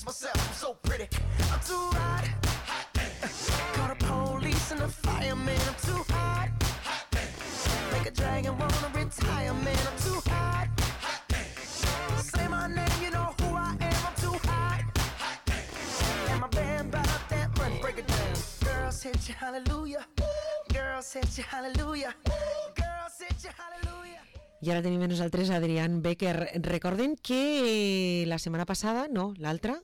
kiss myself, I'm so pretty. I'm too hot. Call the police and the fireman, I'm too hot. Make a dragon wanna retire, man, I'm too hot. Say my name, you know who I am, I'm too hot. And my band brought up that money, break it down. Girls hit you, hallelujah. Girls hit you, hallelujah. Girls hit you, hallelujah. I ara tenim amb nosaltres Adrián Becker. Recorden que la setmana passada, no, l'altra,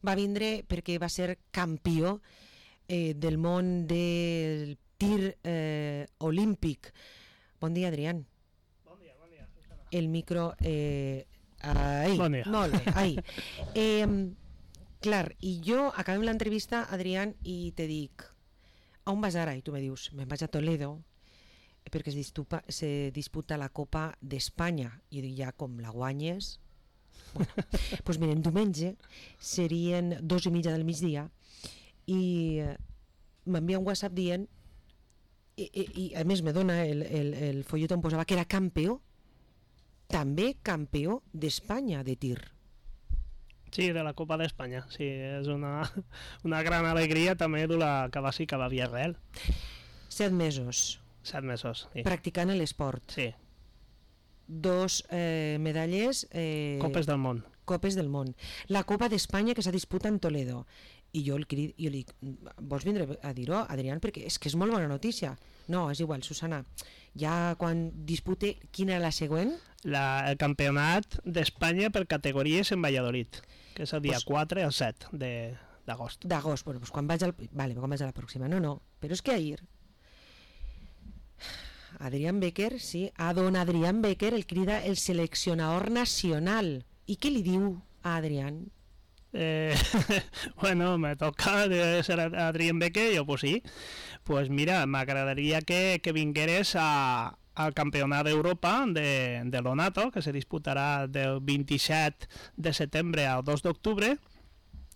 va vindre perquè va ser campió del món del tir olímpic. Bon dia, Adrián. Bon dia, Susana. El micro... ahí, bon dia. Molt bé, ahí. Clar, i jo acabem l'entrevista, Adrián, i te dic, on vas ara? I tu me dius, me'n vaig a Toledo, perquè se disputa la Copa d'Espanya. I dic, ja com la guanyes... Bueno, doncs miren, diumenge serien 2:30 del migdia i m'envia un WhatsApp dient i a més me dona el folleto on posava que era campió, també campió d'Espanya de tir. Sí, de la Copa d'Espanya. Sí, és una gran alegria també de la que va Villarreal. 7 mesos. 7 mesos, sí. Practicant l'esport. Sí. 2 medalles... Copes del món. Copes del món. La Copa d'Espanya que s'ha disputat en Toledo. I jo li dic, vols vindre a dir-ho, Adrián? Perquè és que és molt bona notícia. No, és igual, Susana. Ja quan dispute, quina era la següent? El campionat d'Espanya per categories en Valladolid, que és el dia 4 al 7 d'agost. D'agost, bueno, doncs quan vaig a la pròxima. No, però és que ahir Adrián Becker, sí, a don Adrián Becker el crida el seleccionador nacional. I què li diu a Adrián? Bueno, me toca ser Adrián Becker, jo pues sí. Pues mira, m'agradaria que vingueres al Campionat d'Europa de l'Onato, que se disputarà del 27 de setembre al 2 d'octubre,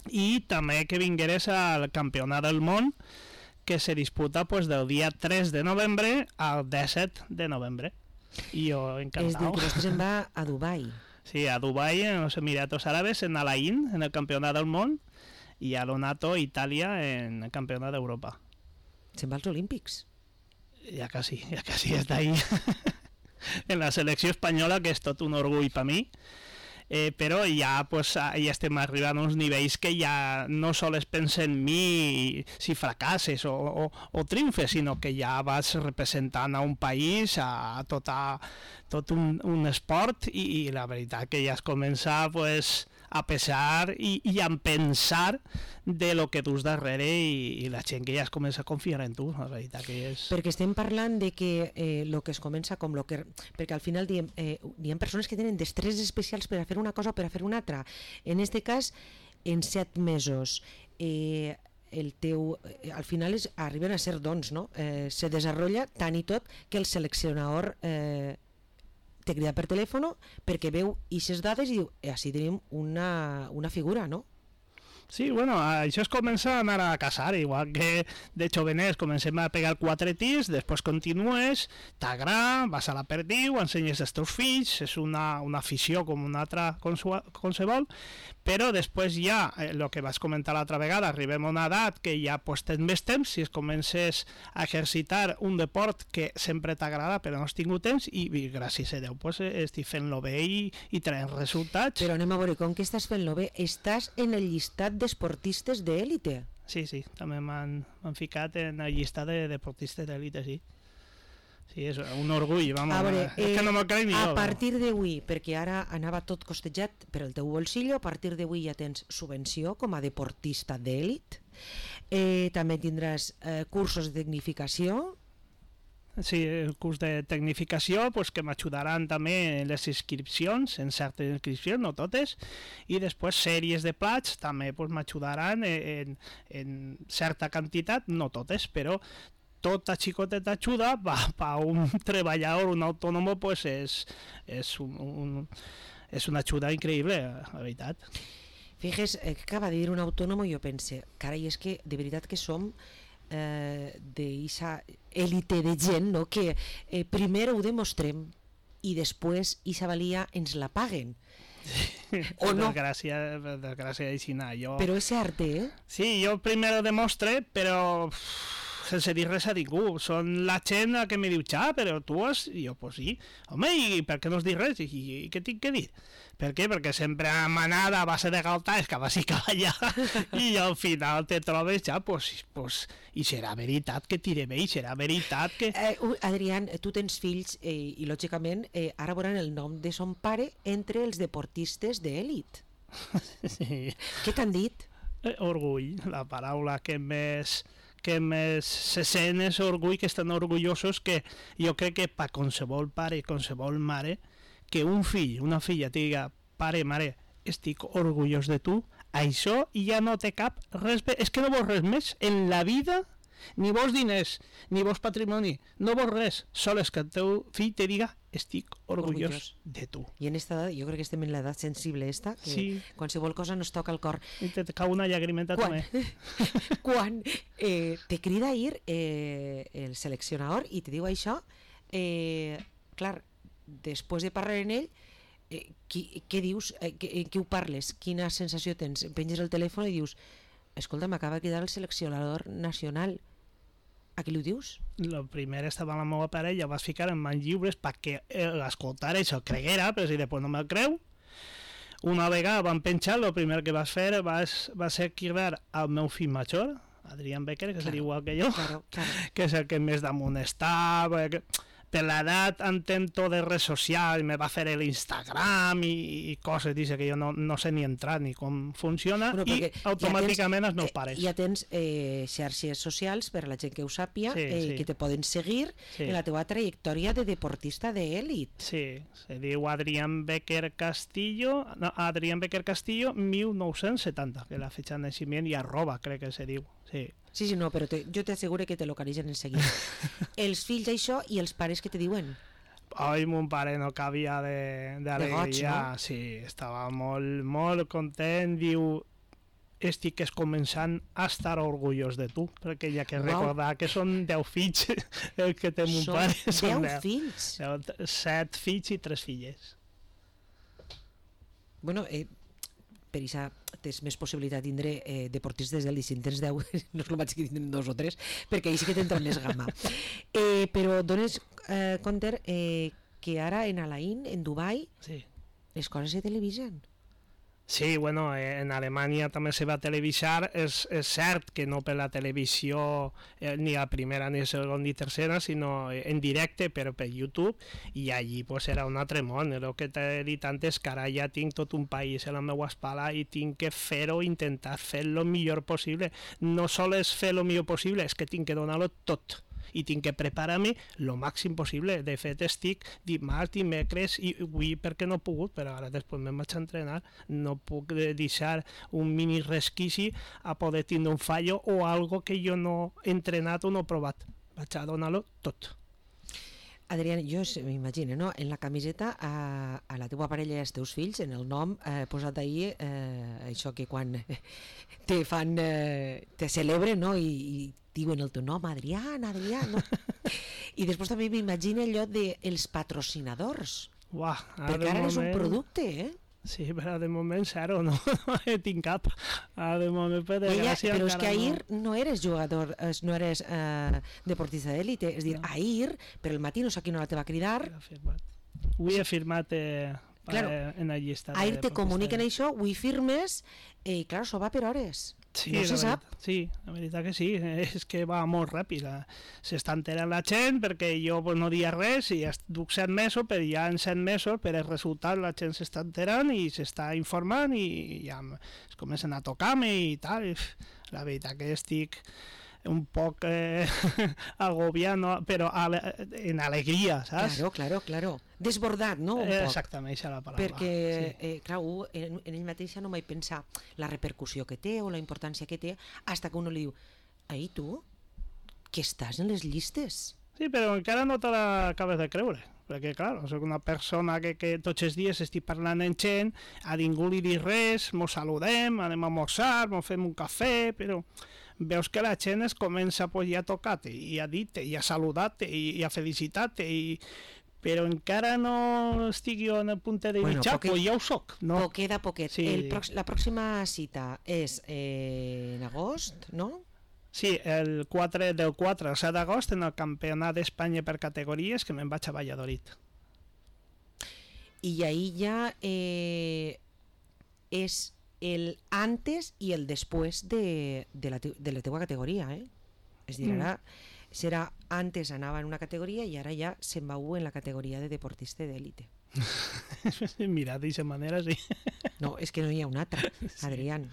i també que vingueres al Campionat del Món, que se disputa pues del dia 3 de novembre al 17 de novembre. I jo encantado. És dir, que després se'n va a Dubai. Sí, a Dubai, en los Emiratos Árabes, en Al Ain, en el Campionat del Món, i a l'Onato, Itàlia, en el Campionat d'Europa. Se'n va als Olímpics. Ja quasi està ahí. En la selecció espanyola, que és tot un orgull per mi. Però ja estem arribant a uns nivells que ja no sols pensa en mi si fracasses o triomfes, sinó que ja vas representant a un país, a tot un esport, i la veritat que ja es comença a pesar i a pensar de lo que dus darrere, i la gent que ja es comença a confiar en tu, la veritat que és... Perquè estem parlant de que lo que es comença com lo que... Perquè al final hi ha persones que tenen destreses especials per a fer una cosa o per a fer una altra. En este cas, en 7 mesos, el teu... al final arriben a ser dons, no? Se desenvolupa tant i tot que el seleccionador te crida per telèfon perquè veu aquestes dades i diu, així tenim una figura, no? Sí, bueno, això es comença a anar a casar, igual que de joveners comencem a pegar 4 tirs, després continues, t'agrada, vas a la perdiu, ensenyes als teus fills, és una afició com una altra qualsevol, però després ja, el que vas comentar l'altra vegada, arribem a una edat que ja tens més temps, si es comences a exercitar un deport que sempre t'agrada però no has tingut temps, i gràcies a Déu estic fent-lo bé i traient resultats. Però anem a veure, com que estàs fent-lo bé, estàs en el llistat d'esportistes d'élite. Sí, també m'han ficat en el llistat de deportistes d'élite, sí. Sí, és un orgull, vamos. A veure, és que no m'ho crec ni jo. A partir d'avui, perquè ara anava tot costejat per el teu bolsillo, a partir d'avui ja tens subvenció com a deportista d'èlit, també tindràs cursos de tecnificació. Sí, el curs de tecnificació que m'ajudaran també en les inscripcions, en certes inscripcions, no totes, i després sèries de plats també m'ajudaran en certa quantitat, no totes, però tota xicoteta ajuda per un treballador, un autònom, és una ajuda increïble, la veritat. Fíjese, acaba de dir un autònom i jo pense, carai, és que de veritat que som d'eixa élite de gent, no? Que primer ho demostrem i després eixa valia ens la paguen. O no. Per desgràcia així no. Però és cert, eh? Sí, jo primer ho demostre, però sense dir res a ningú. Són la gent que me diu, però tu has... I jo, pues sí. Home, i per què no has dit res? I què tinc que dir? Per què? Perquè sempre manada a base de galtar, és que va sí que va allà, i al final te trobes ja, pues, i serà veritat que tire bé, i serà veritat que... Adrián, tu tens fills i lògicament ara veuran el nom de son pare entre els deportistes d'èlit. Sí. Què t'han dit? Orgull, la paraula que més se sent és orgull, que estan orgullosos, que jo crec que per qualsevol pare i qualsevol mare, que un fill, una filla te diga, pare, mare, estic orgullós de tu, això ja no té cap res més, és que no vols res més en la vida, ni vols diners, ni vols patrimoni, no vols res, sols que el teu fill te diga, estic orgullós de tu. I en esta edat, jo crec que estem en l'edat sensible esta, que sí. Qualsevol cosa nos toca el cor. I te cau una llagrimeta també. Quan te crida a ir el seleccionador i te diu això, clar, després de parlar en ell, què dius? Què ho parles? Quina sensació tens? Penges el telèfon i dius, escolta, m'acaba de cridar el seleccionador nacional. A qui li ho dius? Lo primer estava la meva parella, ho vas ficar en mans lliures perquè l'escoltar això creguera, però si després no me'l creu. Una vegada van penjar, el primer que vas fer va ser cridar al meu fill major, Adrián Becker, que seria igual que jo, que és el que més damunt està, per l'edat entén tot de res social, me va fer l'Instagram i coses, dice que jo no sé ni entrar ni com funciona, i automàticament els meus pares. Ja tens xarxes socials per a la gent que ho sàpia, que te poden seguir en la teva trajectòria de deportista d'èlit. Sí, se diu Adrián Becker Castillo, 1970, que la fetxa de naixement i @ crec que se diu, sí. Sí, no, però jo t'asseguro que te localitzen en seguida. Els fills això i els pares que te diuen? Ai, mon pare no cabia d'alegria, no? Sí, estava molt, molt content, diu, estic començant a estar orgullós de tu, perquè hi ha que recordar que són 10 fills el que té mon pare. Són 10 fills? 7 fills i 3 filles. Bueno, per això tens més possibilitat de tindre deportistes d'èlit. Si en tens 10, no és el mateix que tindrem 2 o 3, perquè ahir sí que t'entra més gamma. Però dones compte que ara en Alain, en Dubai, les coses se televisen. Sí, bueno, en Alemanya també se va televisar, és cert que no per la televisió ni la primera, ni la segona, ni tercera, sinó en directe, però per YouTube, i allí pues, era un altre món. El que t'he dit antes, que ara ja tinc tot un país a la meva espalda i tinc que fer-ho, intentar fer el millor possible. No sols fer el millor possible, és que tinc que donar-lo tot. I tinc que preparar-me el màxim possible. De fet, estic dimarts, dimecres, i avui perquè no he pogut, però ara després me'n vaig a entrenar, no puc deixar un mini resquici a poder tindre un fallo o algo que jo no he entrenat o no he provat. Vaig a donar-lo tot. Adrián, jo m'imagino, no? En la camiseta a la teva parella i als teus fills, en el nom posat ahir, això que quan te fan, te celebren, no? I diuen el teu nom, Adrián, no? I després també m'imagino allò dels patrocinadors. Uah, perquè ara és un producte, eh? Sí, però de moment zero, no tinc cap. De moment, per desgràcia, però és que ahir no eres jugador, no eres deportista d'èlite, és a dir, ahir, per el matí no sé a quina hora te va cridar. Avui he firmat en la llista. Ahir te comuniquen això, avui firmes, i clar, això va per hores. Sí, no se sap. Sí, la veritat que sí, és que va molt ràpid. S'està enterant la gent perquè jo no dia res i duc 7 mesos, però ja en 7 mesos per el resultat la gent s'està enterant i s'està informant i ja es comencen a tocar-me i tal. La veritat que estic un poc agobiat, no? Però en alegria, saps? Claro. Desbordat, no? Exactament, això és la paraula. Perquè, clar, en ell mateix no mai pensar la repercussió que té o la importància que té, hasta que uno li diu, ai, tu, que estàs en les llistes. Sí, però encara no te l'acabes de creure. Perquè, clar, soc una persona que tots els dies estic parlant amb gent, a ningú li dic res, mos saludem, anem a almorzar, mos fem un cafè, però veus que la gent es comença pues, ja a tocar-te, i a dir-te, i a saludar-te, i a felicitar-te, però encara no estic jo en el punt de mitjà, però ja ho soc. No? Poquet a poquet. Sí. La pròxima cita és en agost, no? Sí, del 4 al 7 d'agost en el Campionat d'Espanya per categories, que me'n vaig a Valladolid. I ahí ja és el antes i el després de la teua categoria, eh? És a dir, ara serà antes anava en una categoria i ara ja se'n va en la categoria de deportista d'élite. Mira, d'aquesta manera sí. No, és que no hi ha una altra, Adrián.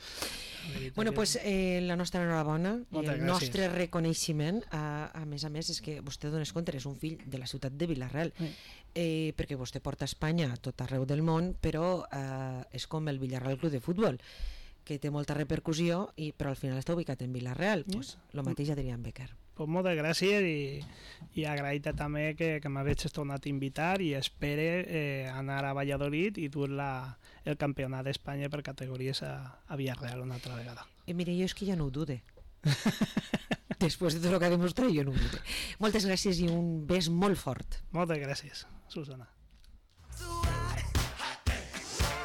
Bueno, pues la nostra enhorabona i el nostre reconeixement, a més, és que vostè dones compte, és un fill de la ciutat de Vila-real, perquè vostè porta Espanya a tot arreu del món, però és com el Villarreal Club de Futbol, que té molta repercussió, però al final està ubicat en Vila-real. Pues lo mateix Adrián Becker. Pues moltes gràcies i agraït també que m'hagués tornat a invitar i espere anar a Valladolid i dur el campionat d'Espanya per categories a Villarreal una altra vegada. Mire, jo és que ja no ho dude. Després de tot el que ha demostrat, jo no ho dude. Moltes gràcies i un bes molt fort. Moltes gràcies, Susana.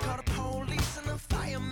Call the police and the fireman.